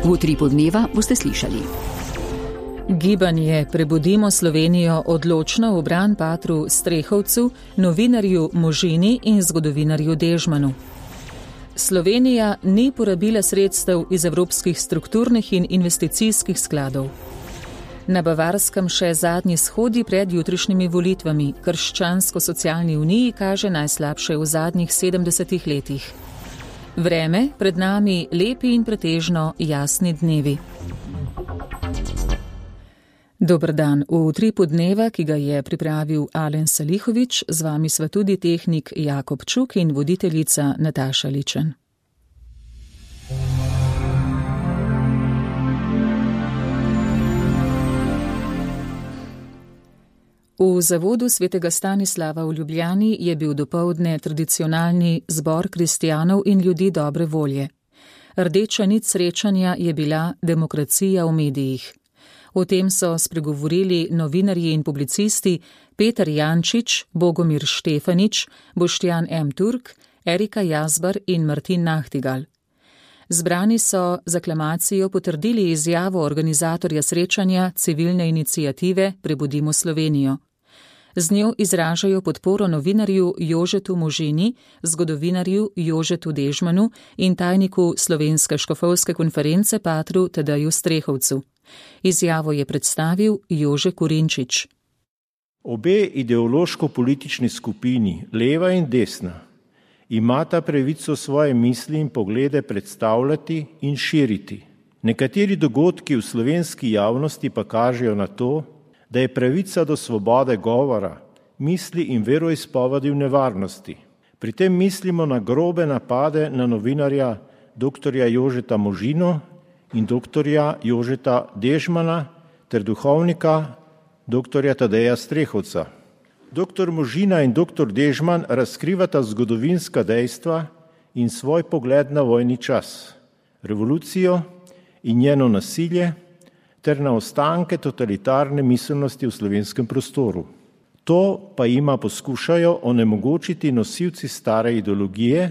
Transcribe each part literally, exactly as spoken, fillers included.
V utripu dneva boste slišali. Gibanje Prebudimo Slovenijo odločno v bran patru Strehovcu, novinarju Možini in zgodovinarju Dežmanu. Slovenija ni porabila sredstev iz evropskih strukturnih in investicijskih skladov. Na Bavarskem še zadnji shodi pred jutrišnjimi volitvami. Krščansko-socialni uniji kaže najslabše v zadnjih sedemdesetih letih. Vreme, pred nami lepi in pretežno jasni dnevi. Dober dan. V utripu dneva, ki ga je pripravil Alen Salihovič, z vami sva tudi tehnik Jakob Čuk in voditeljica Nataša Ličen. V zavodu svetega Stanislava v Ljubljani je bil dopoldne tradicionalni zbor kristjanov in ljudi dobre volje. Rdeča nit srečanja je bila demokracija v medijih. O tem so spregovorili novinarji in publicisti Peter Jančič, Bogomir Štefanič, Boštjan M. Turk, Erika Jazbar in Martin Nahtigal. Zbrani so z aklamacijo potrdili izjavo organizatorja srečanja civilne iniciative Prebudimo Slovenijo. Z njo izražajo podporo novinarju Jožetu Možini, zgodovinarju Jožetu Dežmanu in tajniku Slovenske škofovske konference patru Tadeju Strehovcu. Izjavo je predstavil Jože Kurinčič. Obe ideološko-politični skupini, leva in desna, imata pravico svoje misli in poglede predstavljati in širiti. Nekateri dogodki v slovenski javnosti pa kažejo na to, da je pravica do svobode govora, misli in veroizpovedi v nevarnosti. Pri tem mislimo na grobe napade na novinarja doktorja Jožeta Možino in doktorja Jožeta Dežmana ter duhovnika doktorja Tadeja Strehovca. Doktor Možina in doktor Dežman razkrivata zgodovinska dejstva in svoj pogled na vojni čas, revolucijo in njeno nasilje ter na ostanke totalitarne miselnosti v slovenskem prostoru. To pa jima poskušajo onemogočiti nosilci stare ideologije,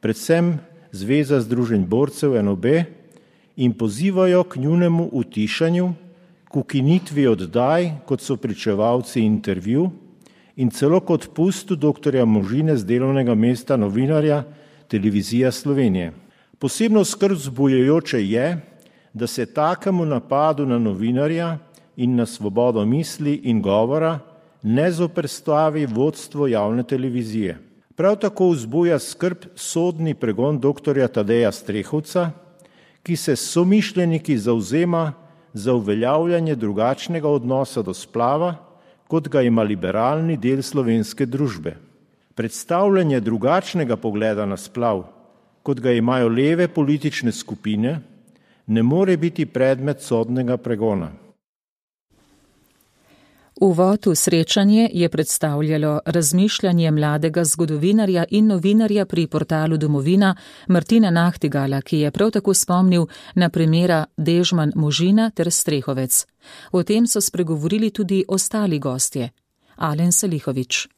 predvsem Zveza združenj borcev N O B, in pozivajo k njunemu utišanju, k ukinitvi oddaj, kot so pričevalci intervju, in celo k odpustu doktorja Možine z delovnega mesta novinarja Televizija Slovenije. Posebno skrb vzbujajoče je, da se takemu napadu na novinarja in na svobodo misli in govora ne zoperstavi vodstvo javne televizije. Prav tako vzbuja skrb sodni pregon doktorja Tadeja Strehovca, ki se s somišljeniki zavzema za uveljavljanje drugačnega odnosa do splava, kot ga ima liberalni del slovenske družbe. Predstavljanje drugačnega pogleda na splav, kot ga imajo leve politične skupine, ne more biti predmet sodnega pregona. Uvod v srečanje je predstavljalo razmišljanje mladega zgodovinarja in novinarja pri portalu Domovina Martina Nahtigala, ki je prav tako spomnil na primera Dežman Možina ter Strehovec. O tem so spregovorili tudi ostali gostje. Alen Salihovič.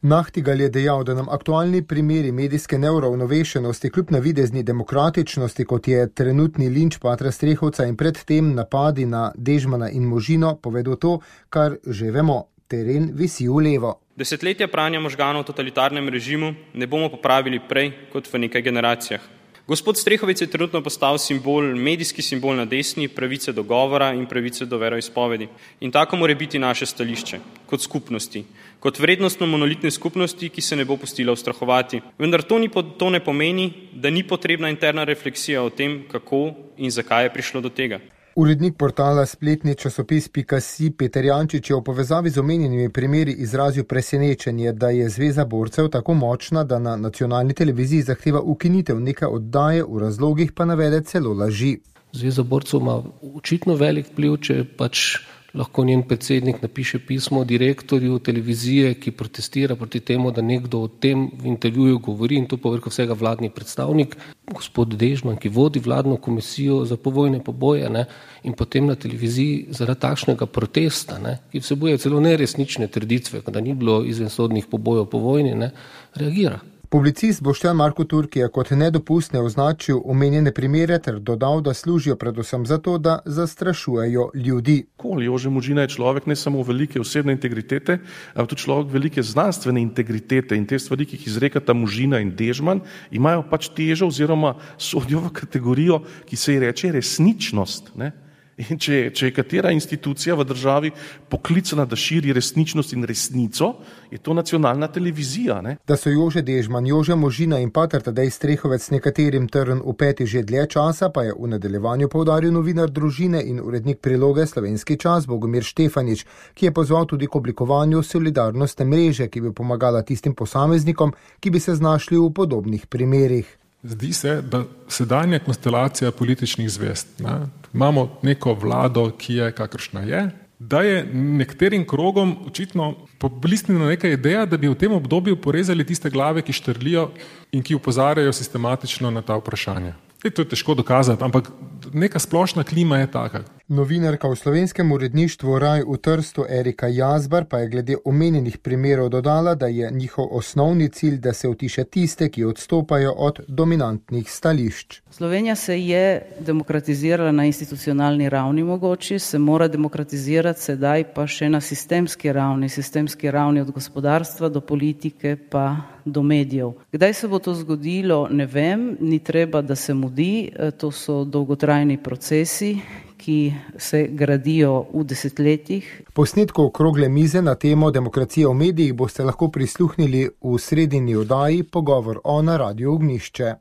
Nahtigal je dejal, da nam aktualni primeri medijske neuravnovešenosti kljub navidezni demokratičnosti, kot je trenutni linč patra Strehovca in predtem napadi na Dežmana in Možino, povedo to, kar že vemo, teren visi v levo. Desetletja pranja možganov v totalitarnem režimu ne bomo popravili prej kot v nekaj generacijah. Gospod Strehovec je trenutno postal simbol, medijski simbol na desni, pravice do govora in pravice do veroizpovedi. In tako mora biti naše stališče, kot skupnosti, kot vrednostno monolitne skupnosti, ki se ne bo pustila ustrahovati. Vendar to, ni, to ne pomeni, da ni potrebna interna refleksija o tem, kako in zakaj je prišlo do tega. Urednik portala spletni časopis pika si Peter Jančič je v povezavi z omenjenimi primeri izrazil presenečenje, da je Zveza borcev tako močna, da na nacionalni televiziji zahteva ukinitev neke oddaje, v razlogih pa navede celo laži. Zveza borcev ima očitno velik vpliv, če pač lahko njen predsednik napiše pismo direktorju televizije, ki protestira proti temu, da nekdo o tem v intervjuju govori, in to povrh vsega vladni predstavnik, gospod Dežman, ki vodi vladno komisijo za povojne poboje, ne, in potem na televiziji zaradi takšnega protesta, ne, ki vsebuje celo neresnične trditve, da ni bilo izvensodnih pobojev po vojni, ne, reagira. Publicist Boštjan Marko Turk je kot nedopustne označil omenjene primere ter dodal, da služijo predvsem zato, da zastrašujejo ljudi. Jože Možina je človek ne samo velike osebne integritete, ampak tudi človek velike znanstvene integritete in te stvari, ki jih izrekata Možina in Dežman, imajo pač težo oziroma sodijo v kategorijo, ki se ji reče resničnost, ne? In če, če je katera institucija v državi poklicana, da širi resničnost in resnico, je to nacionalna televizija. Ne? Da so Jože Dežman, Jože Možina in pater Tadej Strehovec nekaterim trn v peti že dlje časa, pa je v nadaljevanju poudaril novinar Družine in urednik priloge Slovenski čas Bogomir Štefanič, ki je pozval tudi k oblikovanju solidarnostne mreže, ki bi pomagala tistim posameznikom, ki bi se znašli v podobnih primerih. Zdi se, da sedanja konstelacija političnih zvest, ne, imamo neko vlado, ki je kakršna je, da je nekaterim krogom očitno poblisnila neka ideja, da bi v tem obdobju porezali tiste glave, ki štrlijo in ki opozarjajo sistematično na ta vprašanja. E, to je težko dokazati, ampak neka splošna klima je taka. Novinarka v slovenskem uredništvu Raj v Trstu Erika Jazbar pa je glede omenjenih primerov dodala, da je njihov osnovni cilj, da se utiše tiste, ki odstopajo od dominantnih stališč. Slovenija se je demokratizirala na institucionalni ravni mogoče, se mora demokratizirati sedaj pa še na sistemski ravni, sistemski ravni od gospodarstva do politike pa do medijev. Kdaj se bo to zgodilo, ne vem, ni treba, da se mudi, to so dolgotrajni procesi, ki se gradijo v desetletjih. Posnetku okrogle mize na temo demokracije v medijih boste lahko prisluhnili v sredini oddaji Pogovor o na Radiu Ognjišče.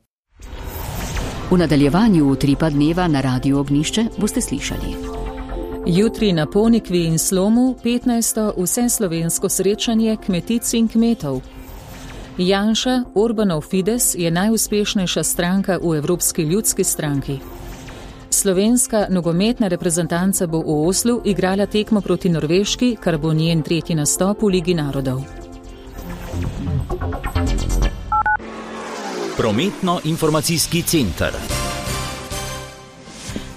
V nadaljevanju utripa dneva na Radiu Ognjišče boste slišali. Jutri na Ponikvi in Slomu petnajsto vseslovensko srečanje kmetic in kmetov. Janša, Orbanov Fides, je najuspešnejša stranka v Evropski ljudski stranki. Slovenska nogometna reprezentanca bo v Oslu igrala tekmo proti Norveški, kar bo njen tretji nastop v Ligi narodov. Prometno-informacijski center.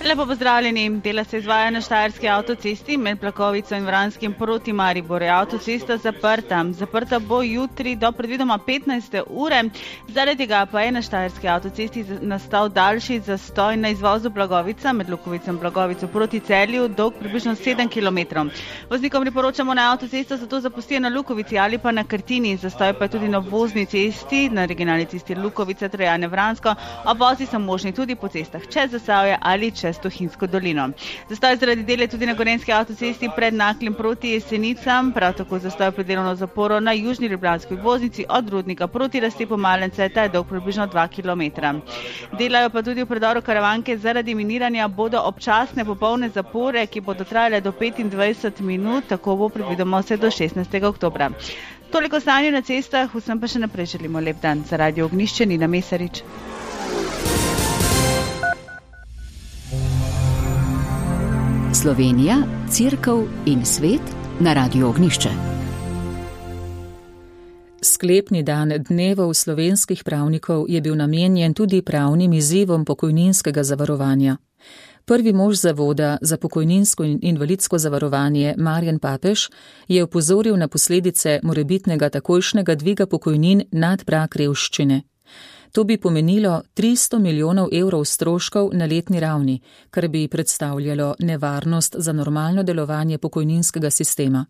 Lepo pozdravljeni. Dela se izvaja na Štajerski avtocesti med Plakovico in Vranskim proti Mariboru. Avtocesta zaprta. Zaprta bo jutri do predvidoma petnajste ure. Zaradi tega pa je na Štajerski avtocesti nastal daljši zastoj na izvozu Blagovica med Lukovicem Blagovico proti Celju, dolg približno sedem kilometrov. Voznikom priporočamo na avtocesto, zato zapustijo na Lukovici ali pa na Krtini. Zastoj pa je tudi na obvozni cesti, na regionalni cesti Lukovica, Trojane, Vransko. Obvozi so možni tudi po cestah čez Zasavje ali čez Tuhinjsko dolino. Zastoj zaradi dela tudi na Gorenjski avtocesti pred Naklem proti Jesenicam, prav tako zastoj pred delovno zaporo na južni ljubljanski obvoznici od Rudnika proti Raztepu Malence, ta je dolg približno dva kilometra. Delajo pa tudi v predoru Karavanke zaradi miniranja bodo občasne popolne zapore, ki bodo trajale do petindvajset minut, tako bo predvidoma vse do šestnajstega oktobra. Toliko stanje na cestah, vsem pa še naprej želimo lep dan. Za Radio Ognjišče, Nina Mesarič. Slovenija, Cerkev in svet na Radiu Ognjišče. Sklepni dan dnevov slovenskih pravnikov je bil namenjen tudi pravnim izzivom pokojninskega zavarovanja. Prvi mož Zavoda za pokojninsko in invalidsko zavarovanje Marjan Papež je opozoril na posledice morebitnega takojšnjega dviga pokojnin nad prag revščine. To bi pomenilo tristo milijonov evrov stroškov na letni ravni, kar bi predstavljalo nevarnost za normalno delovanje pokojninskega sistema.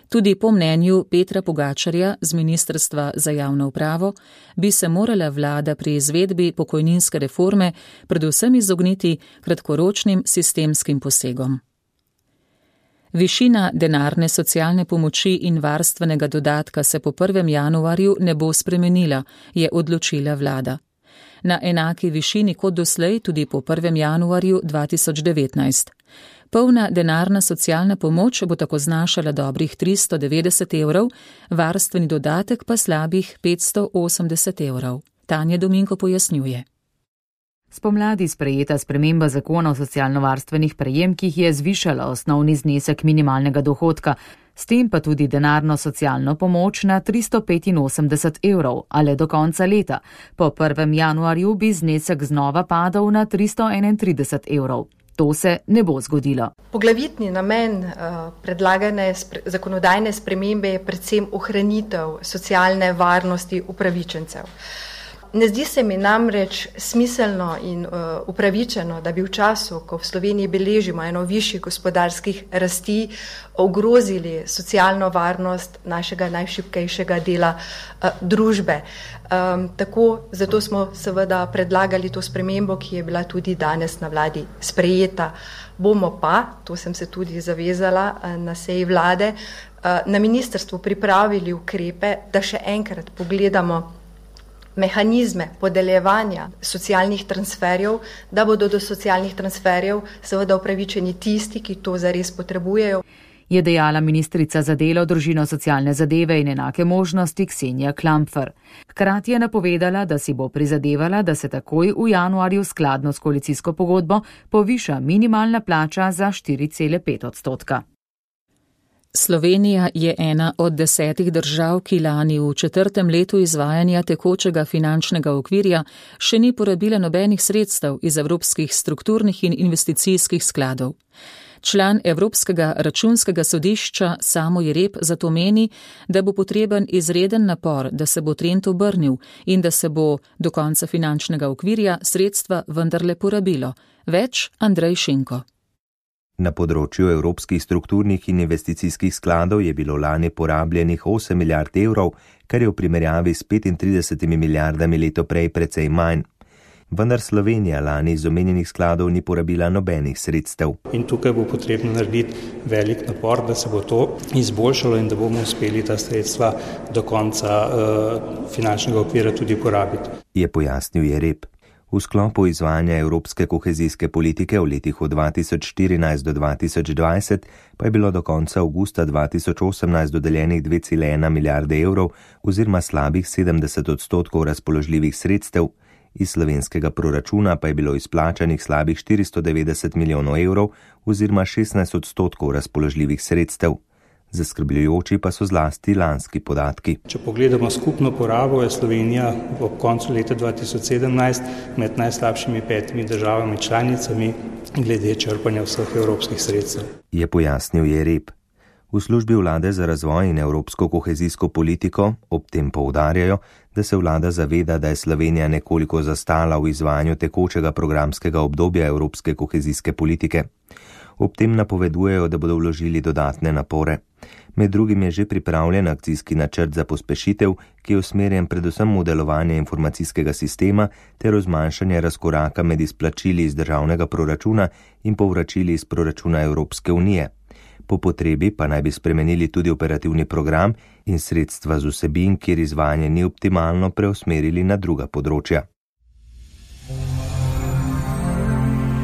Tudi po mnenju Petra Pogačarja z Ministrstva za javno upravo bi se morala vlada pri izvedbi pokojninske reforme predvsem izogniti kratkoročnim sistemskim posegom. Višina denarne socialne pomoči in varstvenega dodatka se po prvem januarju ne bo spremenila, je odločila vlada. Na enaki višini kot doslej tudi po prvem januarju dva tisoč devetnajst. Polna denarna socialna pomoč bo tako znašala dobrih tristo devetdeset evrov, varstveni dodatek pa slabih petsto osemdeset evrov. Tanja Dominko pojasnjuje. Spomladi sprejeta sprememba zakona o socialno-varstvenih prejemkih je zvišala osnovni znesek minimalnega dohodka, s tem pa tudi denarno socialno pomoč na tristo petinosemdeset evrov, ali do konca leta. Po prvem januarju bi znesek znova padal na tristo enaintrideset evrov. To se ne bo zgodilo. Poglavitni namen predlagane zakonodajne spremembe je predvsem ohranitev socialne varnosti upravičencev. Ne zdi se mi namreč smiselno in uh, upravičeno, da bi v času, ko v Sloveniji beležimo eno višjih gospodarskih rasti, ogrozili socialno varnost našega najšibkejšega dela uh, družbe. Um, tako, zato smo seveda predlagali to spremembo, ki je bila tudi danes na vladi sprejeta. Bomo pa, to sem se tudi zavezala uh, na seji vlade, uh, na ministrstvu pripravili ukrepe, da še enkrat pogledamo mehanizme podeljevanja socialnih transferjev, da bodo do socialnih transferjev seveda upravičeni tisti, ki to zares potrebujejo. Je dejala ministrica za delo, družino, socialne zadeve in enake možnosti Ksenija Klampfer. Hkrati je napovedala, da si bo prizadevala, da se takoj v januarju skladno s koalicijsko pogodbo poviša minimalna plača za štiri cele pet odstotka. Slovenija je ena od desetih držav, ki lani v četrtem letu izvajanja tekočega finančnega okvirja še ni porabila nobenih sredstev iz evropskih strukturnih in investicijskih skladov. Član Evropskega računskega sodišča Samo Jereb zato meni, da bo potreben izreden napor, da se bo trend obrnil in da se bo do konca finančnega okvirja sredstva vendarle porabilo. Več Andrej Šinko. Na področju evropskih strukturnih in investicijskih skladov je bilo lani porabljenih osem milijard evrov, kar je v primerjavi s petintridesetimi milijardami leto prej precej manj. Vendar Slovenija lani iz omenjenih skladov ni porabila nobenih sredstev. In tukaj bo potrebno narediti velik napor, da se bo to izboljšalo in da bomo uspeli ta sredstva do konca uh, finančnega okvira tudi porabiti. Je pojasnil Jereb. V sklopu izvajanja evropske kohezijske politike v letih od dva tisoč štirinajst do dva tisoč dvajset pa je bilo do konca avgusta dva tisoč osemnajst dodeljenih dve cele ena milijarde evrov oziroma slabih sedemdeset odstotkov razpoložljivih sredstev, iz slovenskega proračuna pa je bilo izplačanih slabih štiristo devetdeset milijonov evrov oziroma šestnajst odstotkov razpoložljivih sredstev. Zaskrbljujoči pa so zlasti lanski podatki. Če pogledamo skupno porabo, je Slovenija ob koncu leta dva tisoč sedemnajst med najslabšimi petimi državami članicami glede črpanja vseh evropskih sredstev. Je pojasnil Jereb. V službi vlade za razvoj in evropsko kohezijsko politiko ob tem poudarjajo, da se vlada zaveda, da je Slovenija nekoliko zastala v izvajanju tekočega programskega obdobja evropske kohezijske politike. Ob tem napovedujejo, da bodo vložili dodatne napore. Med drugim je že pripravljen akcijski načrt za pospešitev, ki je usmerjen predvsem v delovanje informacijskega sistema ter v zmanjšanje razkoraka med izplačili iz državnega proračuna in povračili iz proračuna Evropske unije. Po potrebi pa naj bi spremenili tudi operativni program in sredstva z vsebin, kjer izvajanje ni optimalno, preusmerili na druga področja.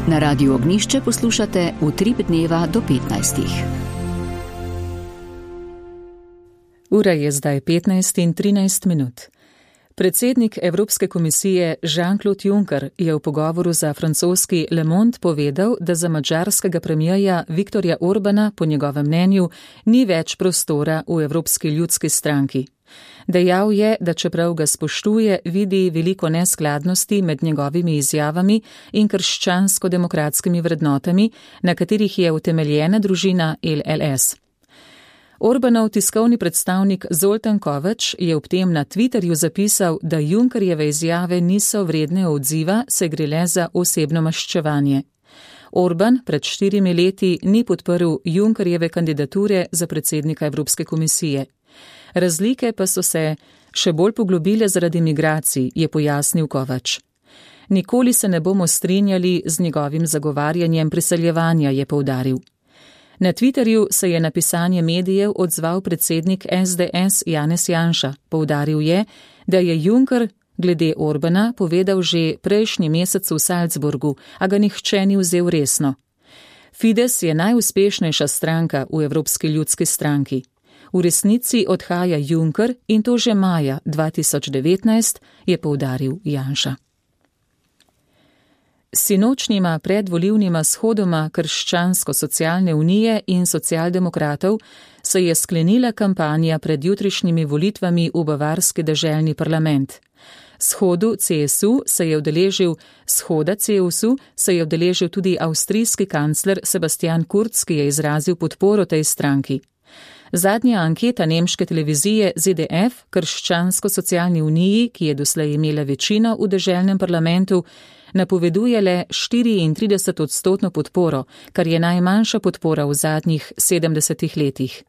Na Radiu Ognišče poslušate Utrip dneva do petnajstih. Ura je zdaj petnajst in trinajst minut. Predsednik Evropske komisije Jean-Claude Juncker je v pogovoru za francoski Le Monde povedal, da za madžarskega premijerja Viktorja Orbana po njegovem mnenju ni več prostora v Evropski ljudski stranki. Dejal je, da čeprav ga spoštuje, vidi veliko neskladnosti med njegovimi izjavami in krščansko-demokratskimi vrednotami, na katerih je utemeljena družina L L S. Orbanov tiskovni predstavnik Zoltan Kovač je ob tem na Twitterju zapisal, da Junckerjeve izjave niso vredne odziva, se gre le za osebno maščevanje. Orban pred štirimi leti ni podprl Junckerjeve kandidature za predsednika Evropske komisije. Razlike pa so se še bolj poglobile zaradi migracij, je pojasnil Kovač. Nikoli se ne bomo strinjali z njegovim zagovarjanjem priseljevanja, je poudaril. Na Twitterju se je na pisanje medijev odzval predsednik S D S Janez Janša. Poudaril je, da je Juncker glede Orbana povedal že prejšnji mesec v Salzburgu, a ga nihče ni vzel resno. Fides je najuspešnejša stranka v Evropski ljudski stranki. V resnici odhaja Juncker in to že maja dva tisoč devetnajst, je poudaril Janša. Sinočnjima predvolilnima shodoma Krščansko-socialne unije in socialdemokratov se je sklenila kampanja pred jutrišnjimi volitvami v bavarski deželni parlament. Shodu C S U se je udeležil, shoda C S U se je udeležil tudi avstrijski kancler Sebastian Kurz, ki je izrazil podporo tej stranki. Zadnja anketa nemške televizije Z D F, Krščansko-socialni uniji, ki je doslej imela večino v deželnem parlamentu, napoveduje le štiriintrideset odstotno podporo, kar je najmanjša podpora v zadnjih sedemdesetih letih.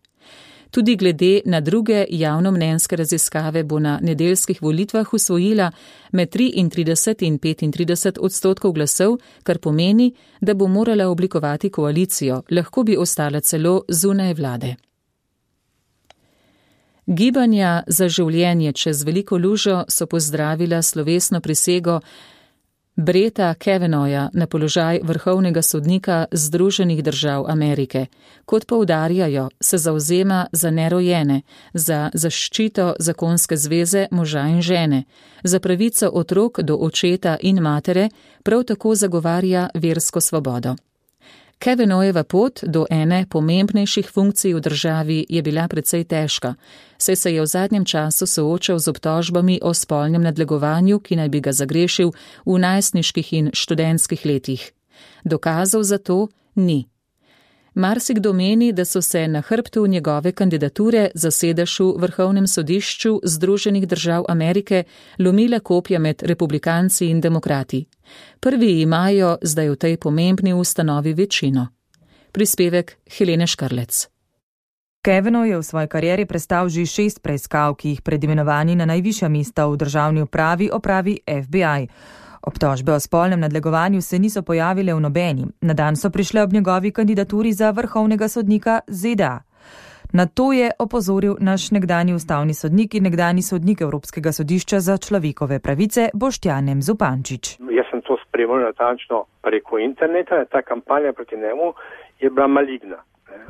Tudi glede na druge javnomnenjske raziskave bo na nedeljskih volitvah usvojila med triintrideset in petintrideset odstotkov glasov, kar pomeni, da bo morala oblikovati koalicijo, lahko bi ostala celo zunaj vlade. Gibanja za življenje čez veliko lužo so pozdravila slovesno prisego Bretta Kavanagha na položaj vrhovnega sodnika Združenih držav Amerike. Kot poudarjajo, se zavzema za nerojene, za zaščito zakonske zveze moža in žene, za pravico otrok do očeta in matere, prav tako zagovarja versko svobodo. Kavanaghova pot do ene pomembnejših funkcij v državi je bila precej težka, saj se je v zadnjem času soočal z obtožbami o spolnem nadlegovanju, ki naj bi ga zagrešil v najstniških in študentskih letih. Dokazov za to ni. Marsikdo meni, da so se na hrbtu njegove kandidature za sedež v Vrhovnem sodišču Združenih držav Amerike lomile kopja med republikanci in demokrati. Prvi imajo zdaj v tej pomembni ustanovi večino. Prispevek Helene Škrlec. Kavanagh je v svoji karieri prestal že šest preiskav, ki jih pred imenovanji na najvišja mesta v državni upravi opravi F B I. Obtožbe o spolnem nadlegovanju se niso pojavile v nobeni. Na dan so prišle ob njegovi kandidaturi za vrhovnega sodnika Z D A. Na to je opozoril naš nekdanji ustavni sodnik in nekdanji sodnik Evropskega sodišča za človekove pravice Boštjan M. Zupančič. Jaz sem to spremljal natančno preko interneta. Ta kampanja proti njemu je bila maligna.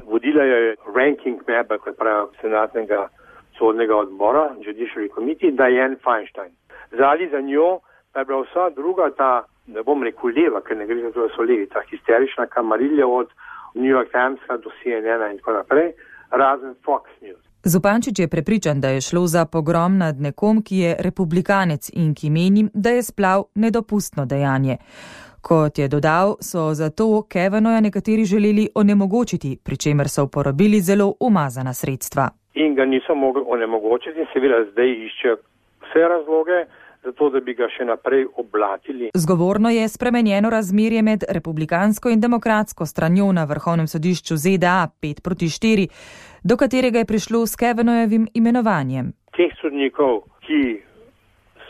Vodila je ranking member, kot pravi, senatnega sodnega odbora, Judiciary Committee, Dianne Feinstein. Zali za njo pa je bila vsa druga ta, ne bom rekel leva, ker ne gre za to, da so levi, ta histerična kamarilja od New York Timesa do C N N in tako naprej, razen Fox News. Zupančič je prepričan, da je šlo za pogrom nad nekom, ki je republikanec in ki meni, da je splav nedopustno dejanje. Kot je dodal, so zato Kavanagha nekateri želeli onemogočiti, pri čemer so uporabili zelo umazana sredstva. In ga niso mogli onemogočiti, seveda zdaj iščejo vse razloge, zato da bi ga še naprej oblatili. Zgovorno je spremenjeno razmerje med republikansko in demokratsko stranjo na Vrhovnem sodišču Z D A pet proti štiri, do katerega je prišlo s Kavanagovim imenovanjem. Teh sodnikov, ki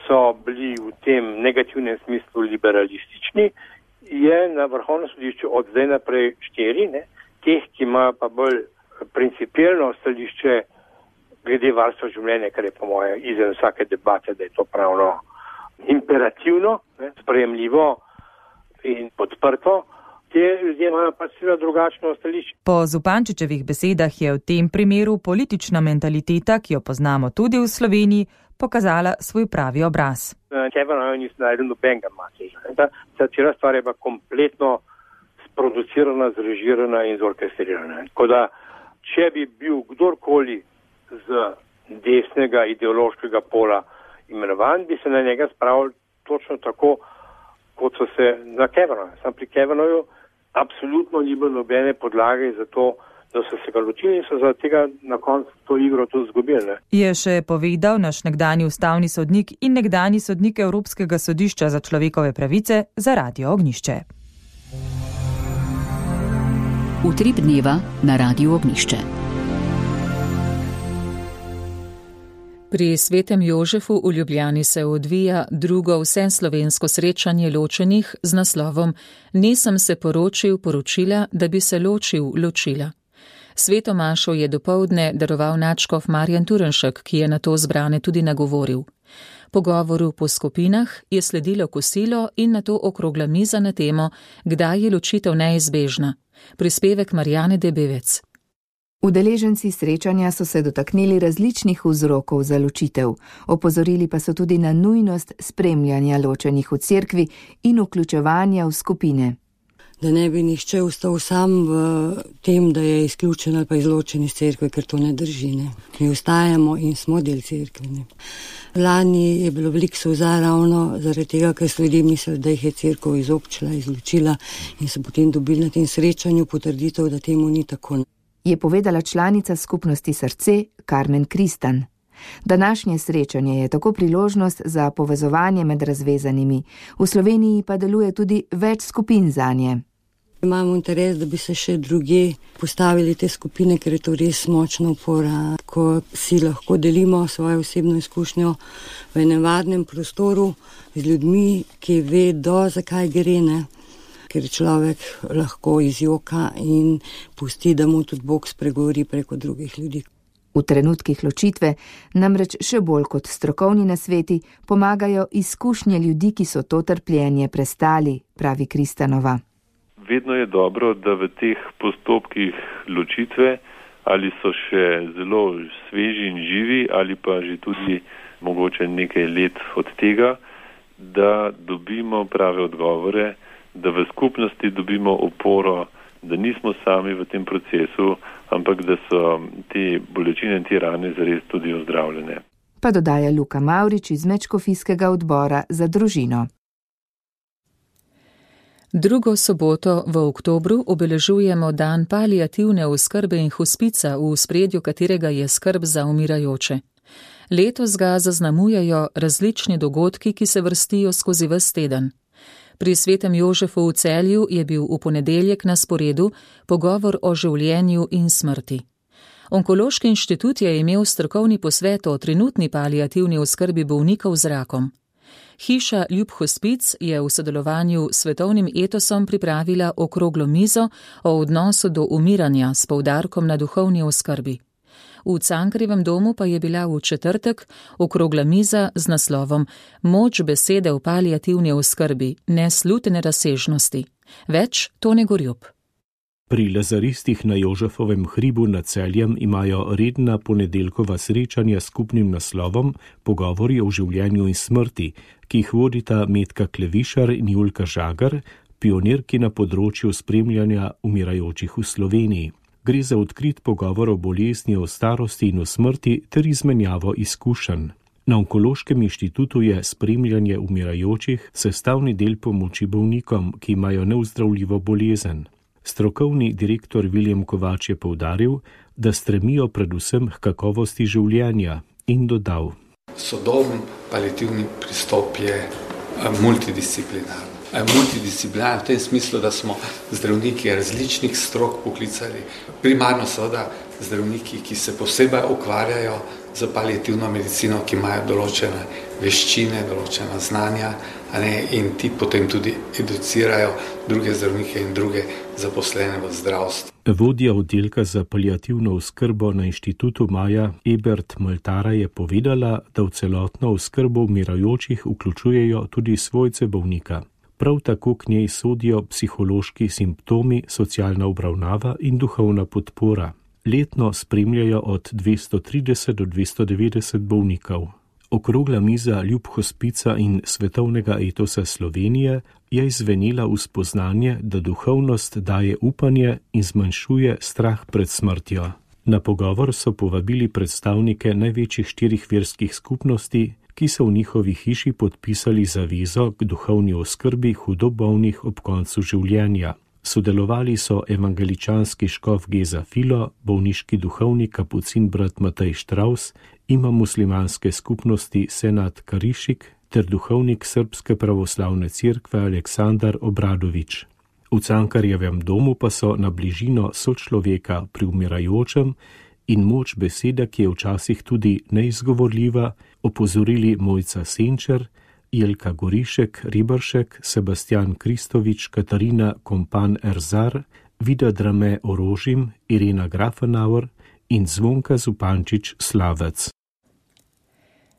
so bili v tem negativnem smislu liberalistični, je na Vrhovnem sodišču od zdaj naprej štiri, ne? Teh, ki imajo pa bolj principielno stališče glede varstva življenja, kar je po moje izven vsake debate, da je to pravno imperativno, ne, sprejemljivo in podprto, te ljudje imajo pač seveda drugačno stališče. Po Zupančičevih besedah je v tem primeru politična mentaliteta, ki jo poznamo tudi v Sloveniji, pokazala svoj pravi obraz. Kavanagh nisem najdel nobenega mačeža. Ta, ta cela stvar je pa kompletno sproducirana, zrežirana in zorkestrirana. Tako da, če bi bil kdorkoli z desnega ideološkega pola imenovan, bi se na njega spravili točno tako, kot so se na Kavanagha. Sam pri Kavanaghu absolutno ni bilo nobene podlage za to, da so se ga ločili in so za tega na koncu to igro tudi izgubili. Je še povedal naš nekdanji ustavni sodnik in nekdanji sodnik Evropskega sodišča za človekove pravice za Radio Ognjišče. Utrip dneva na Radio Ognjišče. Pri Svetem Jožefu v Ljubljani se odvija drugo vseslovensko srečanje ločenih z naslovom Nisem se poročil, poročila, da bi se ločil, ločila. Sveto mašo je dopoldne daroval nadškof Marjan Turnšek, ki je na to zbrane tudi nagovoril. Po govoru po skupinah je sledilo kosilo in nato okrogla miza na temo, kdaj je ločitev neizbežna. Prispevek Marjane Debevec. Udeleženci srečanja so se dotaknili različnih vzrokov za ločitev, opozorili pa so tudi na nujnost spremljanja ločenih v cerkvi in vključevanja v skupine. da ne bi nihče ostal sam v tem, da je izključen ali pa izločen iz cerkve, ker to ne drži. Ne. Mi ostajamo in smo del cerkve. Ne. Lani je bilo veliko solza ravno zaradi tega, ker so ljudje mislili, da jih je cerkev izobčila, izločila in so potem dobili na tem srečanju potrditev, da temu ni tako. Je povedala članica skupnosti Srce Karmen Kristan. Današnje srečanje je tako priložnost za povezovanje med razvezanimi. V Sloveniji pa deluje tudi več skupin zanje. Imamo interes, da bi se še druge postavili te skupine, ker je to res močna opora, ko si lahko delimo svojo osebno izkušnjo v enem varnem prostoru z ljudmi, ki vedo, zakaj gre, ne? Ker človek lahko izjoka in pusti, da mu tudi Bog spregovori preko drugih ljudi. V trenutkih ločitve namreč še bolj kot strokovni nasveti pomagajo izkušnje ljudi, ki so to trpljenje prestali, pravi Kristanova. Vedno je dobro, da v teh postopkih ločitve, ali so še zelo sveži in živi, ali pa že tudi mogoče nekaj let od tega, da dobimo prave odgovore, da v skupnosti dobimo oporo, da nismo sami v tem procesu, ampak da so te bolečine in te rane zares tudi ozdravljene. Pa dodaja Luka Mavrič iz Mečkofijskega odbora za družino. Drugo soboto v oktobru obeležujemo dan paliativne oskrbe in hospica, v ospredju katerega je skrb za umirajoče. Letos ga zaznamujejo različni dogodki, ki se vrstijo skozi ves teden. Pri Svetem Jožefu v Celju je bil v ponedeljek na sporedu pogovor o življenju in smrti. Onkološki inštitut je imel strokovni posvet o trenutni paliativni oskrbi bolnikov z rakom. Hiša Ljub Hospic je v sodelovanju s Svetovnim etosom pripravila okroglo mizo o odnosu do umiranja s poudarkom na duhovni oskrbi. V Cankarjevem domu pa je bila v četrtek okrogla miza z naslovom Moč besede v paliativni oskrbi, neslutene razsežnosti. Več Tone Gorjup. Pri lazaristih na Jožefovem hribu nad Celjem imajo redna ponedeljkova srečanja s skupnim naslovom Pogovori o življenju in smrti, ki jih vodita Metka Klevišar in Julka Žagar, pionirki na področju spremljanja umirajočih v Sloveniji. Gre za odkrit pogovor o bolezni, o starosti in o smrti ter izmenjavo izkušenj. Na Onkološkem inštitutu je spremljanje umirajočih sestavni del pomoči bolnikom, ki imajo neozdravljivo bolezen. Strokovni direktor Viljem Kovač je poudaril, da stremijo predvsem k kakovosti življenja in dodal. Sodoben paliativni pristop je multidisciplinarni. Multidisciplinarni v tem smislu, da smo zdravniki različnih strok poklicali. Primarno seveda zdravniki, ki se posebej ukvarjajo z paliativno medicino, ki imajo določene veščine, določena znanja, a ne, in ti potem tudi educirajo druge zdravnike in druge zaposlene v zdravstvu. Vodja oddelka za paliativno oskrbo na inštitutu Maja Ebert Maltara je povedala, da v celotno oskrbo umirajočih vključujejo tudi svojce bolnika. Prav tako k njej sodijo psihološki simptomi, socialna obravnava in duhovna podpora. Letno spremljajo od dvesto trideset do dvesto devetdeset bolnikov. Okrogla miza Ljub Hospica in Svetovnega etosa Slovenije je izvenela v spoznanje, da duhovnost daje upanje in zmanjšuje strah pred smrtjo. Na pogovor so povabili predstavnike največjih štirih verskih skupnosti, ki so v njihovi hiši podpisali zavezo k duhovni oskrbi hudo bolnih ob koncu življenja. Sodelovali so evangeličanski škof Geza Filo, bolniški duhovnik kapucin brat Matej Štraus, imam muslimanske skupnosti Senat Karišik ter duhovnik Srpske pravoslavne cerkve Aleksandar Obradovič. V Cankarjevem domu pa so na bližino sočloveka pri umirajočem in moč besede, ki je včasih tudi neizgovorljiva, opozorili Mojca Senčer, Jelka Gorišek, Ribršek, Sebastian Kristovič, Katarina Kompan Erzar, Vida Drame Orožim, Irena Grafenauer in Zvonka Zupančič Slavec.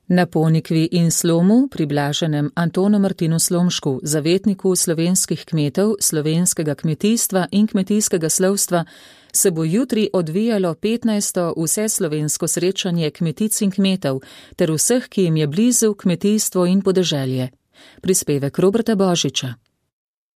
Na Ponikvi in Slomu, pri blaženem Antonu Martinu Slomšku, zavetniku slovenskih kmetov, slovenskega kmetijstva in kmetijskega slovstva, se bo jutri odvijalo petnajsto vseslovensko srečanje kmetic in kmetov ter vseh, ki jim je blizu kmetijstvo in podeželje. Prispevek Roberta Božiča.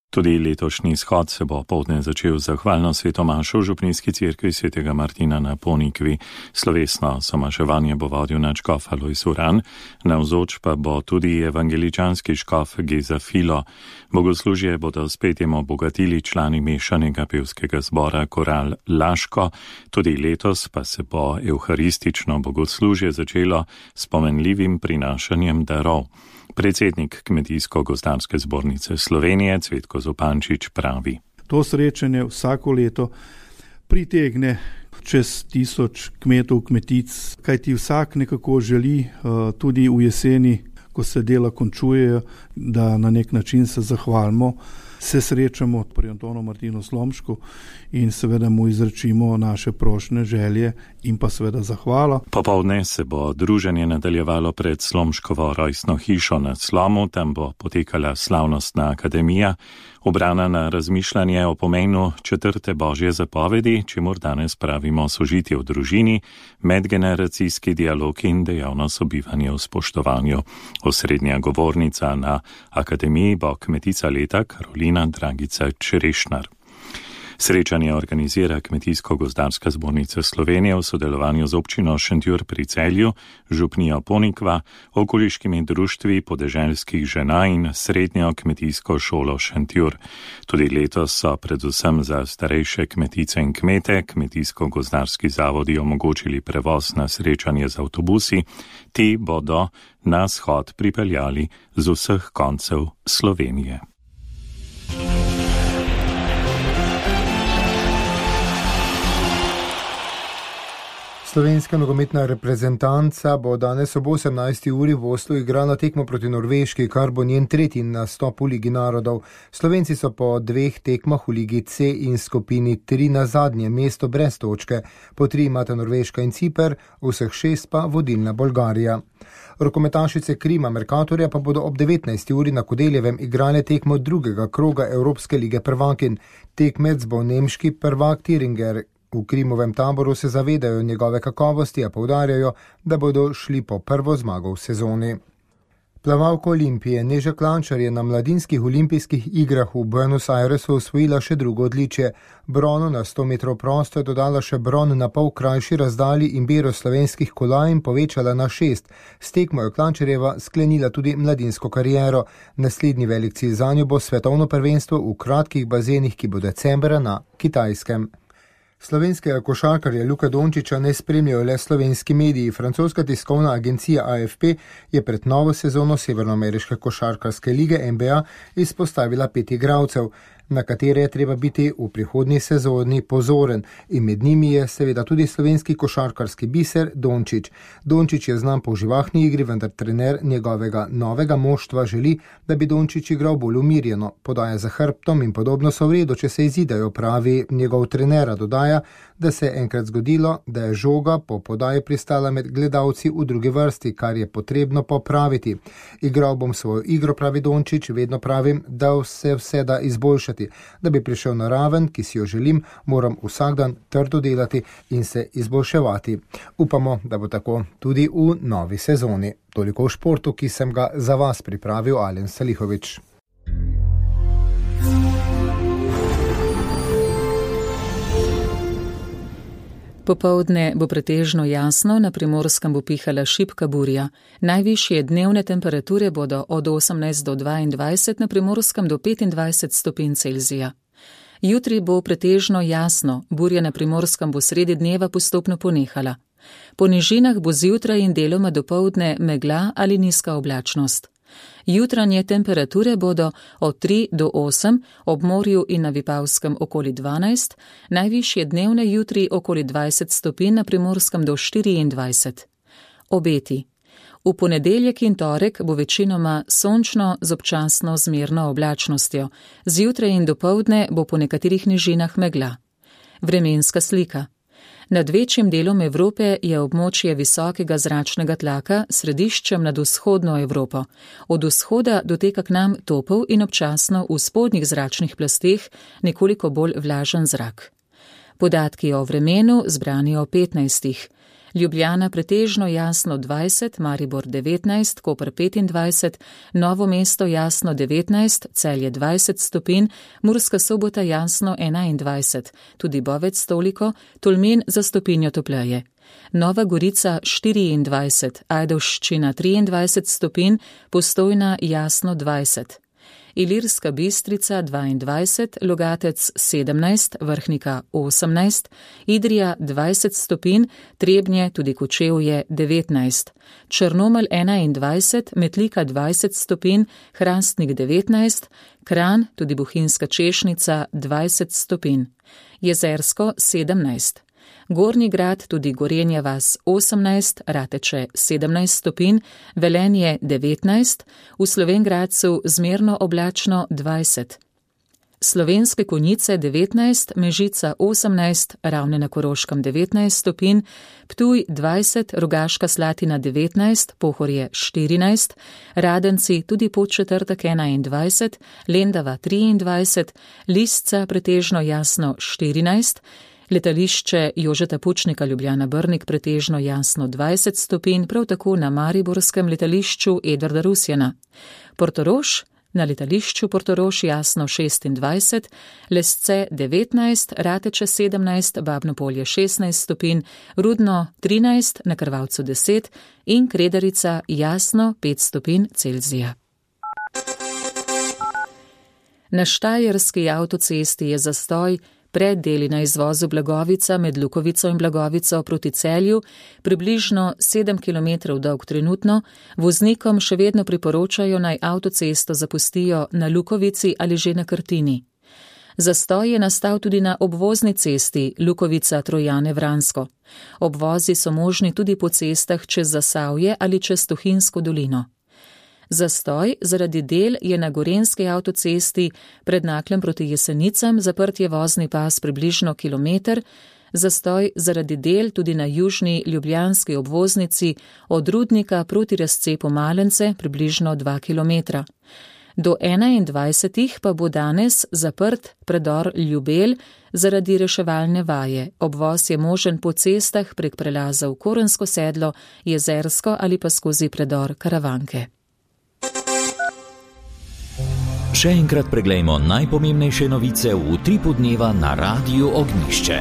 Tudi letošnji shod se bo poldne začel z zahvalno svetomašo v župnijski cerkvi svetega Martina na Ponikvi. Slovesno somaševanje bo vodil nadškof Alojz Uran, navzoč pa bo tudi evangeličanski škof Geza Filo. Bogoslužje bodo s petjem obogatili člani mešanega pevskega zbora Koral Laško. Tudi letos pa se bo evharistično bogoslužje začelo s pomenljivim prinašanjem darov. Predsednik Kmetijsko-gozdarske zbornice Slovenije Cvetko Zupančič pravi. To srečanje vsako leto pritegne čez tisoč kmetov, kmetic, kajti vsak nekako želi tudi v jeseni, ko se dela končujejo, da na nek način se zahvalimo, se srečamo pri Antonu Martinu Slomšku in seveda mu izrečimo naše prošnje, želje in pa seveda zahvala. Popoldne se bo druženje nadaljevalo pred Slomškovo rojstno hišo na Slomu, tam bo potekala slavnostna akademija, obrana na razmišljanje o pomenu četrte božje zapovedi, čemur danes pravimo sožitje v družini, medgeneracijski dialog in dejavno sobivanje v spoštovanju. Osrednja govornica na akademiji bo kmetica leta Karolina Dragica Čerešnar. Srečanje organizira Kmetijsko-gozdarska zbornica Slovenije v sodelovanju z občino Šentjur pri Celju, župnijo Ponikva, okoliškimi društvi podeželskih žena in srednjo kmetijsko šolo Šentjur. Tudi letos so predvsem za starejše kmetice in kmete Kmetijsko-gozdarski zavodi omogočili prevoz na srečanje z avtobusi. Ti bodo na shod pripeljali z vseh koncev Slovenije. Slovenska nogometna reprezentanca bo danes ob osemnajsti uri v Oslu igrala tekmo proti Norveški, kar bo njen tretji nastop v Ligi narodov. Slovenci so po dveh tekmah v Ligi C in skupini tri na zadnje mesto brez točke. Po tri imata Norveška in Ciper, vseh šest pa vodilna Bolgarija. Rokometašice Krima Mercatorja pa bodo ob devetnajsti uri na Kodeljevem igrale tekmo drugega kroga Evropske lige prvakinj. Tekmec bo nemški prvak Thüringer. V Krimovem taboru se zavedajo njegove kakovosti, a poudarjajo, da bodo šli po prvo zmago v sezoni. Plavalka Olimpije Neža Klančar je na mladinskih olimpijskih igrah v Buenos Airesu osvojila še drugo odličje. Brono na sto metrov prosto je dodala še bron na pol krajši razdalji in bero slovenskih kolajn povečala na šest. S tekmo je Klančarjeva sklenila tudi mladinsko kariero. Naslednji velik cilj zanjo bo svetovno prvenstvo v kratkih bazenih, ki bo decembra na Kitajskem. Slovenskega košarkarja Luka Dončiča ne spremljajo le slovenski mediji. Francoska tiskovna agencija A F P je pred novo sezono Severnoameriške košarkarske lige N B A izpostavila pet igralcev, na katere je treba biti v prihodnji sezoni pozoren, in med njimi je seveda tudi slovenski košarkarski biser Dončić. Dončić je znan po živahni igri, vendar trener njegovega novega moštva želi, da bi Dončić igral bolj umirjeno, podaja za hrbtom in podobno so v redu, če se izidajo, pravi njegov trenera. Dodaja, da se je enkrat zgodilo, da je žoga po podaji pristala med gledalci v drugi vrsti, kar je potrebno popraviti. Igral bom svojo igro, pravi Dončić, vedno pravim, da se vse da izboljšati. Da bi prišel na raven, ki si jo želim, moram vsak dan trdo delati in se izboljševati. Upamo, da bo tako tudi v novi sezoni. Toliko v športu, ki sem ga za vas pripravil Alen Salihovič. Popoldne bo pretežno jasno, na Primorskem bo pihala šibka burja. Najvišje dnevne temperature bodo od osemnajst do dvaindvajset, na Primorskem do petindvajset stopinj Celzija. Jutri bo pretežno jasno, burja na Primorskem bo sredi dneva postopno ponehala. Po nižinah bo zjutraj in deloma dopoldne megla ali nizka oblačnost. Jutranje temperature bodo od tri do osem, ob morju in na Vipavskem okoli dvanajst, najvišje dnevne jutri okoli dvajset stopinj, na Primorskem do štiriindvajset. Obeti. V ponedeljek in torek bo večinoma sončno z občasno zmerno oblačnostjo. Zjutraj in dopoldne bo po nekaterih nižinah megla. Vremenska slika. Nad večjim delom Evrope je območje visokega zračnega tlaka središčem nad vzhodno Evropo. Od vzhoda doteka k nam topel in občasno v spodnjih zračnih plasteh nekoliko bolj vlažen zrak. Podatki o vremenu zbrani o petnajstih. Ljubljana pretežno jasno dvajset, Maribor devetnajst, Koper petindvajset, Novo mesto jasno devetnajst, Celje dvajset stopinj, Murska Sobota jasno enaindvajset, tudi Bovec toliko, Tolmin za stopinjo topleje. Nova Gorica štiriindvajset, Ajdovščina triindvajset stopinj, Postojna jasno dvajset. Ilirska Bistrica dvaindvajset, Logatec sedemnajst, Vrhnika osemnajst, Idrija dvajset stopinj, Trebnje, tudi Kočevje devetnajst, Črnomelj enaindvajset, Metlika dvajset stopinj, Hrastnik devetnajst, Kranj, tudi Bohinjska Češnica dvajset stopinj, Jezersko sedemnajst. Gornji Grad, tudi Gorenja vas osemnajst, Rateče sedemnajst stopinj, Velenje devetnajst, v Slovenj Gradcu zmerno oblačno dvajset. Slovenske Konjice devetnajst, Mežica osemnajst, Ravne na Koroškem devetnajst stopinj, Ptuj dvajset, Rogaška Slatina devetnajst, Pohorje štirinajst, Radenci tudi Podčetrtek enaindvajset, Lendava triindvajset, Lisca pretežno jasno štirinajst, Letališče Jožeta Pučnika Ljubljana Brnik pretežno jasno dvajset stopinj, prav tako na mariborskem letališču Edvarda Rusjana. Portorož, na letališču Portorož jasno šestindvajset, Lesce devetnajst, Rateče sedemnajst, Babno Polje šestnajst stopinj, Rudno trinajst, na Krvavcu deset in Kredarica jasno pet stopinj Celzija. Na Štajerski avtocesti je zastoj pred deli na izvozu Blagovica med Lukovico in Blagovico proti Celju, približno sedem kilometrov dolg trenutno, voznikom še vedno priporočajo naj avtocesto zapustijo na Lukovici ali že na Krtini. Zastoj je nastal tudi na obvozni cesti Lukovica-Trojane-Vransko. Obvozi so možni tudi po cestah čez Zasavje ali čez Tuhinjsko dolino. Zastoj zaradi del je na Gorenjski avtocesti pred Naklem proti Jesenicam, zaprt je vozni pas približno kilometer, zastoj zaradi del tudi na južni ljubljanski obvoznici od Rudnika proti razcepu Malence približno dva kilometra. Do enaindvajsetih pa bo danes zaprt predor Ljubelj zaradi reševalne vaje. Obvoz je možen po cestah prek prelazov Korensko sedlo, Jezersko ali pa skozi predor Karavanke. Še enkrat preglejmo najpomembnejše novice v utripu dneva na Radiu Ognjišče.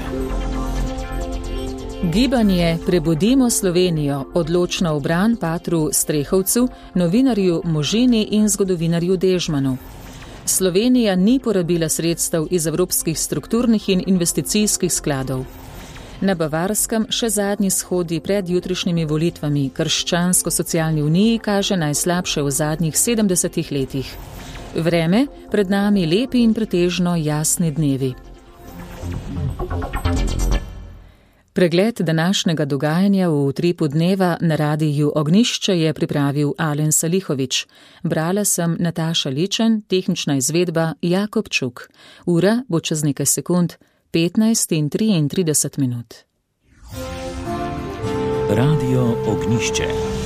Gibanje Prebudimo Slovenijo odločno obran Patru Strehovcu, novinarju Možini in zgodovinarju Dežmanu. Slovenija ni porabila sredstev iz evropskih strukturnih in investicijskih skladov. Na Bavarskem še zadnji shodi pred jutrišnjimi volitvami Krščansko-socialni uniji kaže najslabše v zadnjih sedemdesetih letih. Vreme, pred nami lepi in pretežno jasni dnevi. Pregled današnjega dogajanja v utripu dneva na Radiju Ognjišče je pripravil Alen Salihovič. Brala sem Nataša Ličen, tehnična izvedba Jakob Čuk. Ura bo čez nekaj sekund, petnajst in triintrideset minut. Radio Ognjišče.